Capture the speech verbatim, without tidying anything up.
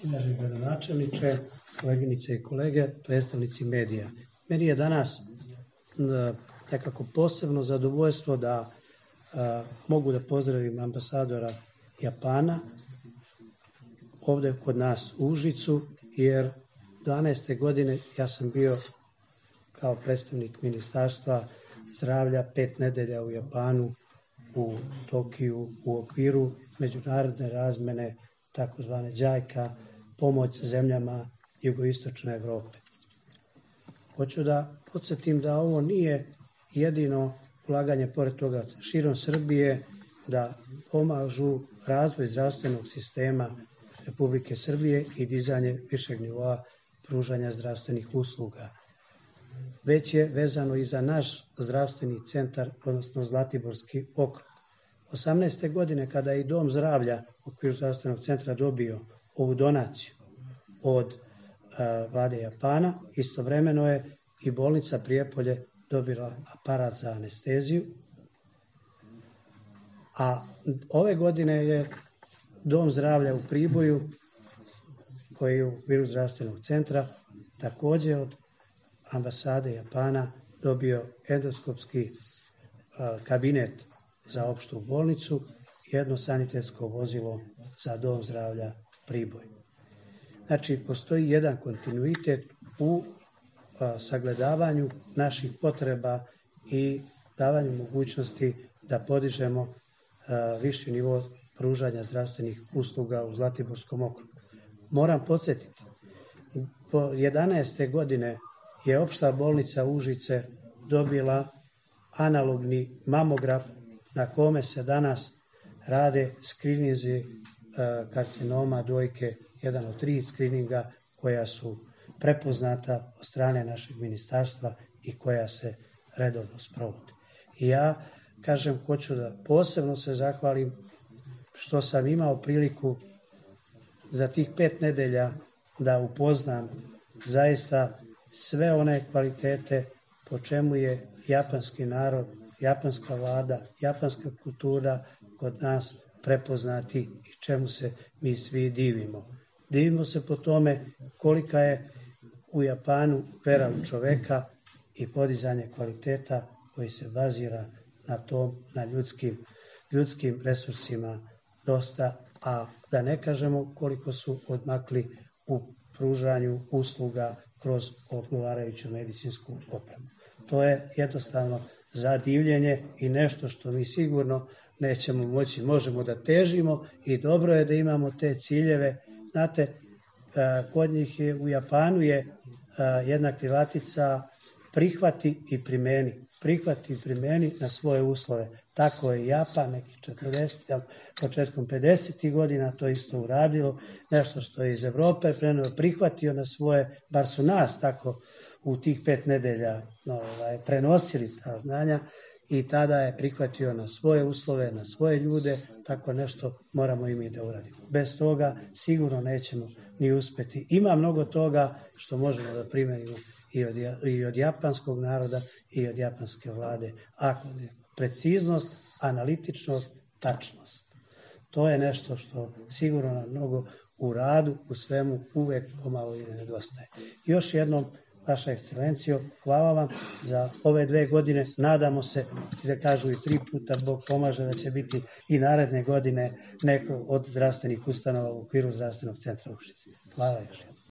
Uvaženi gradonačelniče, koleginice i kolege, predstavnici medija. Meni je danas nekako posebno zadovoljstvo da a, mogu da pozdravim ambasadora Japana ovde kod nas u Užicu, jer dvanaeste godine ja sam bio kao predstavnik Ministarstva zdravlja pet nedelja u Japanu, u Tokiju, u okviru međunarodne razmene takozvane džajka, pomoć zemljama jugoistočne Evrope. Hoću da podsjetim da ovo nije jedino ulaganje, pored toga širom Srbije, da pomažu razvoj zdravstvenog sistema Republike Srbije i dizanje višeg nivoa pružanja zdravstvenih usluga. Već je vezano i za naš zdravstveni centar, odnosno Zlatiborski okrug. osamnaeste godine kada je i Dom zdravlja u okviru zdravstvenog centra dobio ovu donaciju od a, vlade Japana, istovremeno je i bolnica Prijepolje dobila aparat za anesteziju, a ove godine je Dom zdravlja u Priboju, koji je u okviru zdravstvenog centra, takođe od ambasade Japana dobio endoskopski a, kabinet za opštu bolnicu i jedno sanitetsko vozilo za Dom zdravlja Priboj. Znači, postoji jedan kontinuitet u a, sagledavanju naših potreba i davanju mogućnosti da podižemo a, viši nivo pružanja zdravstvenih usluga u Zlatiborskom okrugu. Moram podsjetiti, po jedanaeste godine je opšta bolnica Užice dobila analogni mamograf na kome se danas rade skrininzi karcinoma dojke, jedan od tri skrininga koja su prepoznata od strane našeg ministarstva i koja se redovno sprovode. I ja, kažem, hoću da posebno se zahvalim što sam imao priliku za tih pet nedelja da upoznam zaista sve one kvalitete po čemu je japanski narod, japanska vlada, japanska kultura kod nas prepoznati i čemu se mi svi divimo. Divimo se po tome kolika je u Japanu vera u čoveka i podizanje kvaliteta koji se bazira na tom, na ljudskim, ljudskim resursima dosta, a da ne kažemo koliko su odmakli u pružanju usluga kroz odgovarajuću medicinsku opremu. To je jednostavno za divljenje i nešto što mi sigurno nećemo moći, možemo da težimo i dobro je da imamo te ciljeve. Znate, kod njih je, u Japanu je jedna krilatica prihvati i primeni. Prihvati i primeni na svoje uslove. Tako je Japan, nekih četrdesetih, početkom pedesetih godina to isto uradilo, nešto što je iz Evrope preneo, prihvatio na svoje, bar su nas tako u tih pet nedelja no, ovaj, prenosili ta znanja i tada je prihvatio na svoje uslove, na svoje ljude, tako nešto moramo i mi da uradimo. Bez toga sigurno nećemo ni uspeti. Ima mnogo toga što možemo da primenimo i od, i od japanskog naroda i od japanske vlade. Ako ne, preciznost, analitičnost, tačnost. To je nešto što sigurno nam mnogo u radu, u svemu uvek pomalo i nedostaje. Još jednom, Vaša ekscelencijo, hvala vam za ove dve godine. Nadamo se, da kažu i tri puta, Bog pomaže da će biti i naredne godine neko od zdravstvenih ustanova u okviru zdravstvenog centra Užice. Hvala još jednom.